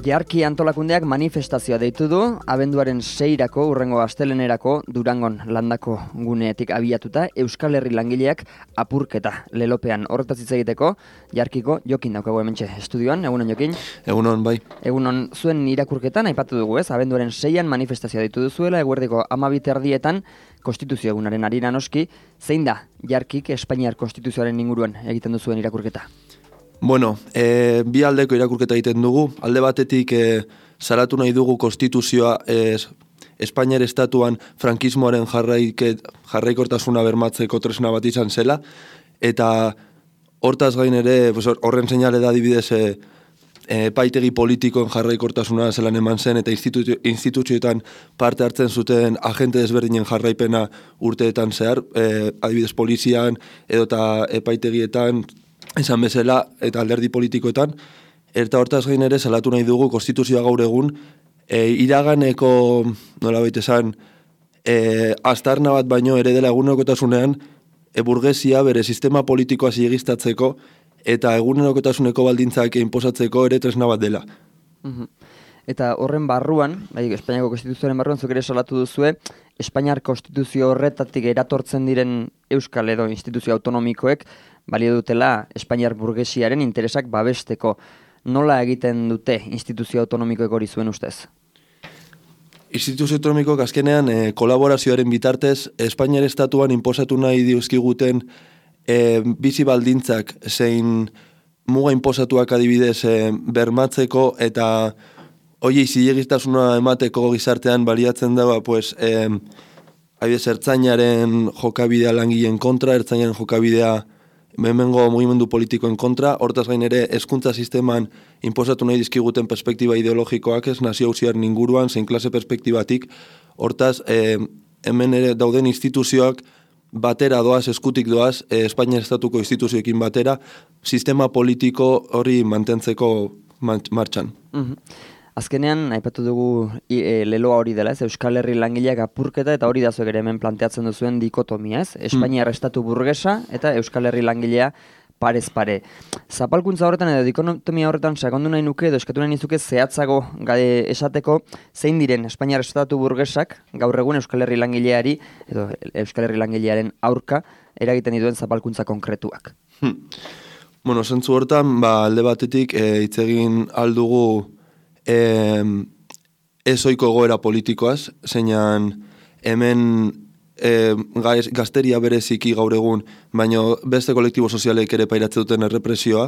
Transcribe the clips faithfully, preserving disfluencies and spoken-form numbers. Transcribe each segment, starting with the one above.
Jarki antolakundeak manifestazioa deitu du, abenduaren seirako, urrengo astelenerako, Durangon landako guneetik abiatuta, Euskal Herri langileak apurketa lelopean. Horretaz hitz egiteko, Jarkiko Jokin daukagu hementxe estudioan, egunon Jokin? Egunon, bai. Egunon, zuen irakurketan aipatu dugu, ez? Abenduaren seian manifestazioa deitu duzuela, eguerdiko amabit erdietan, konstituzio egunaren harira noski, zein da Jarkik Espainiar konstituzioaren inguruan egiten duzuen irakurketa? Bueno, e, bi aldeko irakurketa egiten dugu. Alde batetik e, salatu nahi dugu konstituzioa e, Espainiar estatuan frankismoaren jarraiket, jarraikortasuna bermatzeko tresna bat izan zela, eta hortaz gain ere, pues, horren seinale da adibidez e, epaitegi politikoen jarraikortasuna zelan eman zen, eta institu, instituzioetan parte hartzen zuten agente desberdinen jarraipena urteetan zehar, e, adibidez polizian, edota epaitegietan, esan bezala, eta alderdi politikoetan, eta hortaz gain ere salatu nahi dugu konstituzioa gaur egun, e, iraganeko, nola baita esan, e, astarna bat baino ere dela egunerokotasunean, e, burgesia bere sistema politikoa zilegistatzeko, eta egunerokotasuneko baldintzak inposatzeko ere tresna bat dela. Uh-huh. Eta horren barruan, bai, Espainiako konstituzioaren barruan, zuk ere salatu duzue, Espainiar konstituzio horretatik eratortzen diren euskal edo instituzio autonomikoek, balio dutela Espainiar burgesiaren interesak babesteko. Nola egiten dute instituzio autonomikoek hori zuen ustez? Instituzio autonomikoak azkenean e, kolaborazioaren bitartez Espainiar estatuan inposatu nahi dizkiguten e, bizi baldintzak zein muga inposatuak adibidez e, bermatzeko eta hoiei zilegistasuna emateko gizartean baliatzen dago, pues, e, adibidez ertzainaren jokabidea langileen kontra, ertzainaren jokabidea hemengo mugimendu politikoen kontra, hortaz gain ere hezkuntza sisteman inposatu nahi dizkiguten perspektiba ideologikoak ez nazio auziaren inguruan, zein klase perspektibatik, hortaz e, hemen ere dauden instituzioak batera doaz, eskutik doaz, e, Espainiar estatuko instituzioekin batera, sistema politiko hori mantentzeko martxan. Uh-huh. Azkenean, aipatu dugu e, leloa hori dela, ez? Euskal Herri langileak apurketa, eta hori da zuek ere hemen planteatzen duzuen dikotomia, ez? Espainiar estatu burgesa eta Euskal Herri langilea parez pare. Zapalkuntza horretan edo dikotomia horretan sakondu nahi nuke edo eskatu nahi nizuke zehatzago gade esateko zein diren Espainiar estatu burgesak gaur egun Euskal Herri langileari edo Euskal Herri langilearen aurka eragiten dituen zapalkuntza konkretuak. Hmm. Bueno, zentzu hortan, ba, alde batetik hitz e, egin aldugu Eh, ez ohiko egoera politikoaz, zeinan hemen eh, gazteria bereziki gaur egun, baina beste kolektibo sozialek ere pairatzen duten errepresioa,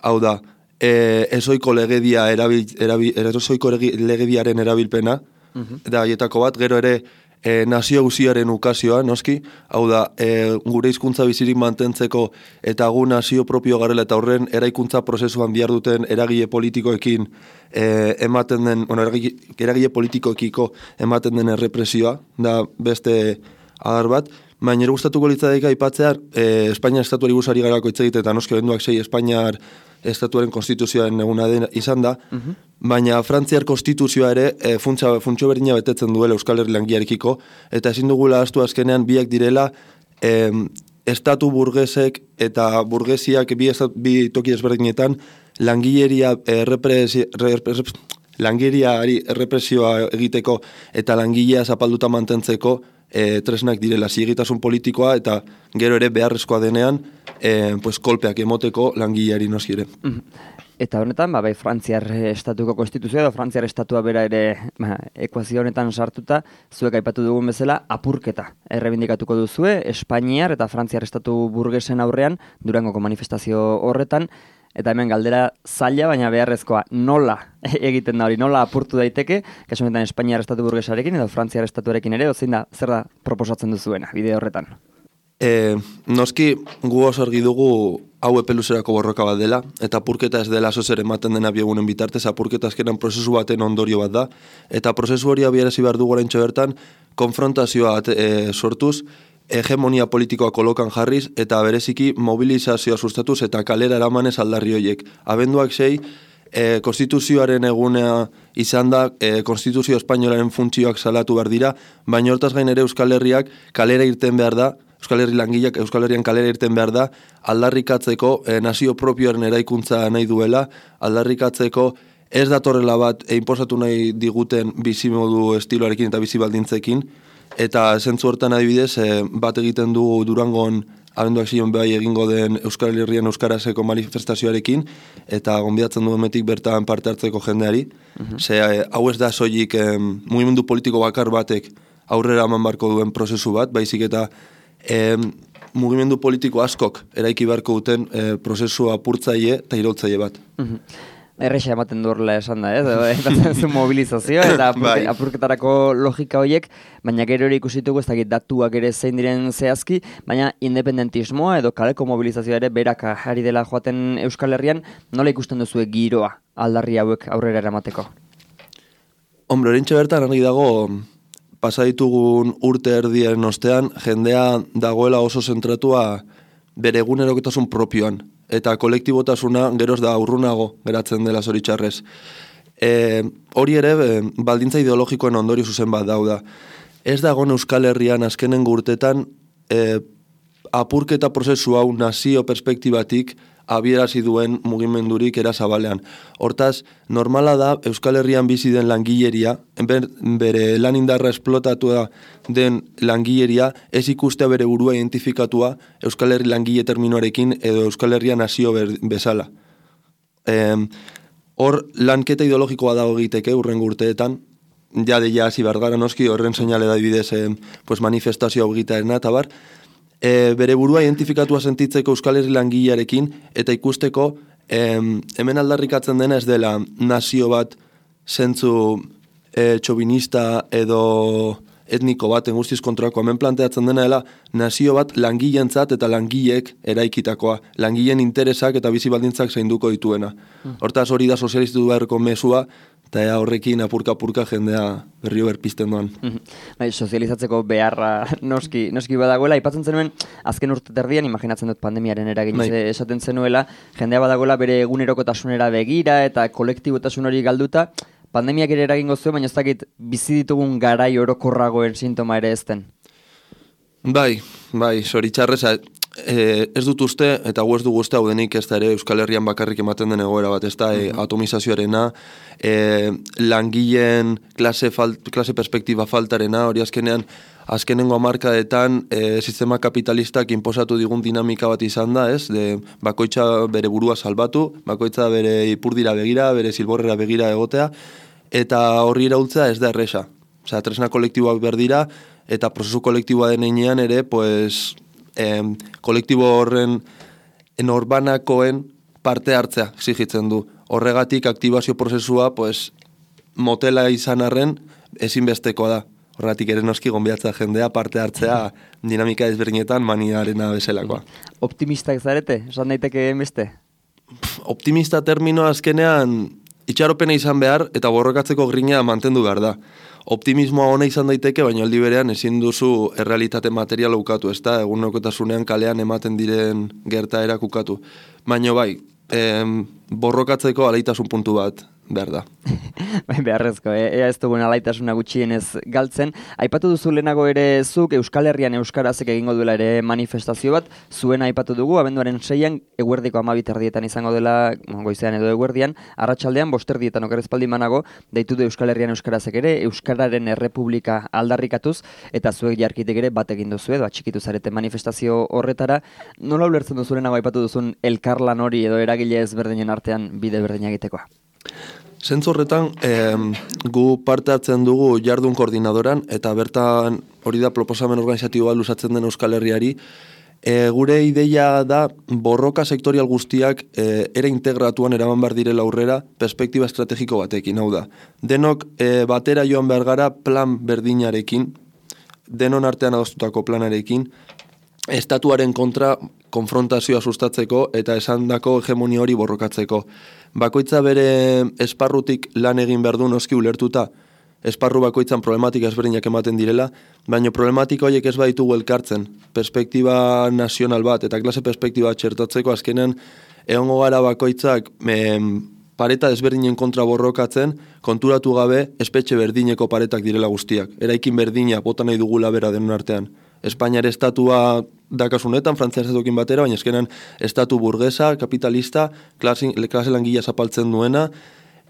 hau da, eh, ez ohiko legedia erabil, erabil, ez ohiko legediaren erabilpena, uh-huh. da haietako bat, gero ere E, nazio guziaren ukazioa, noski, hau da, e, gure hizkuntza bizirik mantentzeko eta gu nazio propio garela eta horren eraikuntza prozesuan bihar duten eragile politikoekin e, ematen den, bueno, eragile, eragile politikoekiko ematen den errepresioa, da beste adar bat, baina ere gustatuko litzateke aipatzea e, Espainiar estatuari guzari garako hitz egite eta noski benduak sei Espainiar estatuaren konstituzioaren eguna izan da, uh-huh. baina Frantziar konstituzioa ere e, funtsa, funtsio berdina betetzen duela Euskal Herri langilearekiko, eta ezin dugula ahaztu azkenean biak direla e, estatu burgesek eta burgesiak bi, estat, bi toki ezberdinetan langileria errepresi, errepres, langileriari errepresioa egiteko eta langilea zapalduta mantentzeko E, tresnak direla zigitasun politikoa eta gero ere beharrezkoa denean e, pues, kolpeak emoteko langileari noski ere. Eta honetan, ba, bai, Frantziar estatuko konstituzioa edo Frantziar estatua bera ere ba, ekuazio honetan sartuta, zuek aipatu dugun bezala apurketa errebindikatuko duzue, Espainiar eta Frantziar estatu burgesen aurrean, Durangoko manifestazio horretan, eta hemen galdera zaila, baina beharrezkoa nola egiten da hori, nola apurtu daiteke, kasu honetan Espainiar estatu burgesarekin edo Frantziar estatuarekin ere, ozein da, zer da proposatzen duzuena, bide horretan? E, noski, gu oso argi dugu hau epe luzerako borroka bat dela, eta apurketa ez dela zozer ematen dena biegunen bitartez, apurketa azkenan prozesu baten ondorio bat da, eta prozesu hori abiarazi behar dugu oraintxe bertan, konfrontazioa e, sortuz, hegemonia politikoa kolokan jarriz eta bereziki mobilizazioa sustatuz eta kalera eramanez aldarri horiek. Abenduak sei, e, konstituzioaren egunea izan da, e, konstituzio espainolaren funtzioak salatu behar dira, baina hortaz gain ere Euskal Herriak kalera irten behar da, Euskal Herri langileak Euskal Herrian kalera irten behar da, aldarrikatzeko e, nazio propioaren eraikuntza nahi duela, aldarrikatzeko ez datorrela bat e, inposatu nahi diguten bizimodu estiloarekin eta bizibaldintzekin, eta zentzu hortan adibidez, e, bat egiten du Durangon abenduak zion behai egingo den Euskal Herrian Euskarazeko manifestazioarekin, eta gonbidatzen duen metik bertan parte hartzeko jendeari. Uh-huh. Ze, e, hau ez da soilik e, mugimendu politiko bakar batek aurrera eman barko duen prozesu bat, baizik eta e, mugimendu politiko askok eraiki beharko duten e, prozesu apurtzaile eta irautzaile bat. Uh-huh. Erresa ematen du horrela esan da, ez? Epatzen zu mobilizazio eta apurke, apurketarako logika horiek, baina gero ere ikusitugu ez dakit datuak ere zein diren zehazki, baina independentismoa edo kaleko mobilizazioa ere berak ari dela joaten Euskal Herrian, nola ikusten duzu giroa aldarri hauek aurrera eramateko? Hombre, orintxe bertan argi dago pasa ditugun urte erdien ostean, jendea dagoela oso zentratua bere egunerokotasun propioan. Eta kolektibotasuna geroz da urrunago geratzen dela zoritxarrez. E, hori ere, e, baldintza ideologikoen ondorio zuzen bat dauda. Ez dagoen Euskal Herrian azkenengo urtetan e, apurketa prozesu hau nazio perspektibatik abierazi duen mugimendurik era zabalean. Hortaz, normala da Euskal Herrian bizi den langileria, ber, bere lan indarra esplotatua den langileria, ez ikustea bere burua identifikatua Euskal Herri langile terminoarekin edo Euskal Herria nazio ber, bezala. E, hor, lanketa ideologikoa dago egiteke urrengo urteetan, ja de ja hasi behar gara noski, horren seinale da bidez e, pues manifestazioa egitearena eta bar, E, bere burua identifikatua sentitzeko Euskal Herri langilearekin eta ikusteko em, hemen aldarrikatzen dena ez dela nazio bat zentzu e, txobinista edo etniko bat guztiz kontrako. Hemen planteatzen dena dela nazio bat langileentzat eta langileek eraikitakoa, langileen interesak eta bizi baldintzak zainduko dituena. Hortaz hori da sozialistu beharko mesua, eta ea horrekin apurka-apurka jendea berrio berpizten doan. Bai, sozializatzeko beharra noski, noski badagoela. Aipatzen zenuen, azken urte terdian, imaginatzen dut pandemiaren eragin bai. Esaten zenuela, jendea badagoela bere egunerokotasunera begira eta kolektibotasun hori galduta, pandemiak ere eragingo zuen, baina ez dakit bizi ditugun garai orokorragoen sintoma ere ezten. Bai, bai, zoritxarrez, e, ez dut uste, eta gu ez dugu uste hau denik ez da ere Euskal Herrian bakarrik ematen den egoera bat, ez da, e, atomizazioarena, e, langileen klase, fal, klase perspektiba faltarena, hori azkenean, azkenengo hamarkadetan e, sistema kapitalistak inposatu digun dinamika bat izan da, ez, de, bakoitza bere burua salbatu, bakoitza bere ipurdira begira, bere zilborrera begira egotea, eta horri iraultzea ez da erresa. Osea, tresna kolektiboak behar dira, eta prozesu kolektiboa den einean ere, pues, eh, kolektibo horren norbanakoen parte hartzea exigitzen du. Horregatik aktibazio prozesua, pues, motela izan arren ezinbestekoa da. Horregatik ere noski gonbiatza jendea parte hartzea dinamika ezberdinetan maniarena bezalakoa. Optimistak zarete? Esan daiteke beste? Optimista termino azkenean itxaropena izan behar eta borrokatzeko grina mantendu behar da. Optimismoa ona izan daiteke, baina aldi berean ezin duzu errealitate materiala ukatu, ez da, egunerokotasunean kalean ematen diren gertaerak ukatu. Baina bai, em, borrokatzeko alaitasun puntu bat behar da. Bai, beharrezko, eh? Ea ez dugun alaitasuna gutxienez galtzen. Aipatu duzu lehenago ere zuk Euskal Herrian Euskarazek egingo duela ere manifestazio bat, zuena aipatu dugu, abenduaren seian, eguerdiko amabi terdietan izango dela, goizean edo eguerdian, arratsaldean bosterdietan okerrezpaldi manago, deitu du Euskal Herrian Euskarazek ere, Euskararen Errepublika aldarrikatuz, eta zuek jarkitek ere bat egin duzu edo atxikitu zarete manifestazio horretara. Nola ulertzen duzu lehenago aipatu duzun elkarlan hori edo eragile ezberdinen artean bide berdina egitekoa? Zentzu horretan, eh, gu parte hartzen dugu jardun koordinadoran, eta bertan hori da proposamen organizatibo bat luzatzen den Euskal Herriari. E, gure ideia da borroka sektorial guztiak e, ere integratuan eraman behar direla aurrera perspektiba estrategiko batekin, hau da. Denok e, batera joan behar gara plan berdinarekin, denon artean adostutako planarekin, estatuaren kontra konfrontazioa sustatzeko eta esandako hegemonia hori borrokatzeko. Bakoitza bere esparrutik lan egin behar du noski ulertuta esparru bakoitzan problematika ezberdinak ematen direla, baina problematika horiek ez baditugu elkartzen, perspektiba nazional bat, eta klase perspektiba txertatzeko azkenean egongo gara bakoitzak em, pareta desberdinen kontra borrokatzen, konturatu gabe espetxe berdineko paretak direla guztiak. Eraikin berdina bota nahi dugula bera denon artean. Espainiar estatua dakasunetan, Frantziar estatuekin batera, baina eskenan estatu burgesa, kapitalista, klase, klase langilea zapaltzen duena,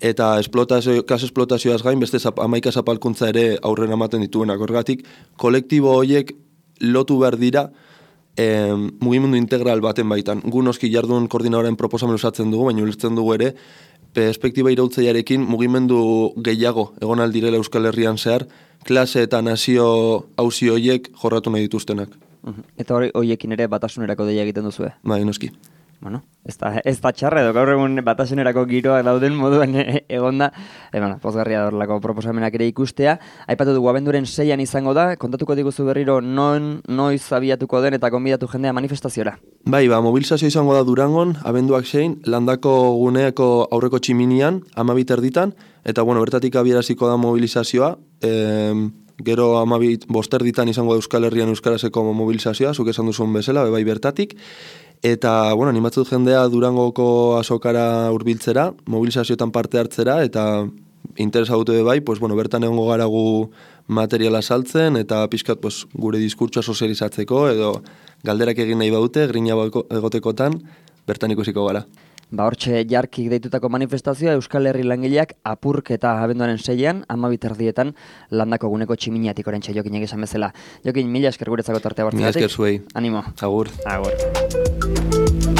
eta esplotazio, klase esplotazioaz gain beste zap, amaika zapalkuntza ere aurrera ematen dituenak. Horregatik, kolektibo horiek lotu behar dira eh, mugimendu integral baten baitan. Gu noski jardun koordinadoren proposamen usatzen dugu, baina ulertzen dugu ere, perspektiba irautzaiarekin mugimendu gehiago egon aldirela Euskal Herrian zehar, klase eta nazio auzi horiek jorratu nahi dituztenak. Eta hori horiekin ere batasunerako deia egiten duzue? Bai, noski. Bueno, ez da, ez da txarra edo gaur egun batasunerako giroak dauden moduan egonda, e, bueno, pozgarria horrelako proposamenak ere ikustea. Aipatu dugu abenduren seian izango da, kontatuko diguzu berriro non, noiz abiatuko den eta gonbidatu jendea manifestaziora. Bai, ba, mobilizazio izango da Durangon, abenduak sein, landako guneeko aurreko tximinian, amabit erditan, eta bueno, bertatik abieraziko da mobilizazioa, e, gero amabit bosterditan izango da Euskal Herrian euskarazeko mobilizazioa, zuk esan duzun bezala, bai bertatik, eta, bueno, animatzen jendea Durangoko azokara hurbiltzera, mobilizazioetan parte hartzera, eta interesa dute bai, pues, bueno, bertan egongo gara gu materiala saltzen, eta pixkat pues, gure diskurtsoa sozializatzeko, edo galderak egin nahi badute, grina egotekotan, bertan ikusiko gara. Ba, hortxe jarkik deitutako manifestazioa Euskal Herri langileak apurketa abenduaren seian, amabit erdietan landako guneko tximiniatik orentxe Jokin egizan bezala. Jokin, mila esker guretzako tartea bortzigatik. Mila esker zuei. Animo. Agur. Agur.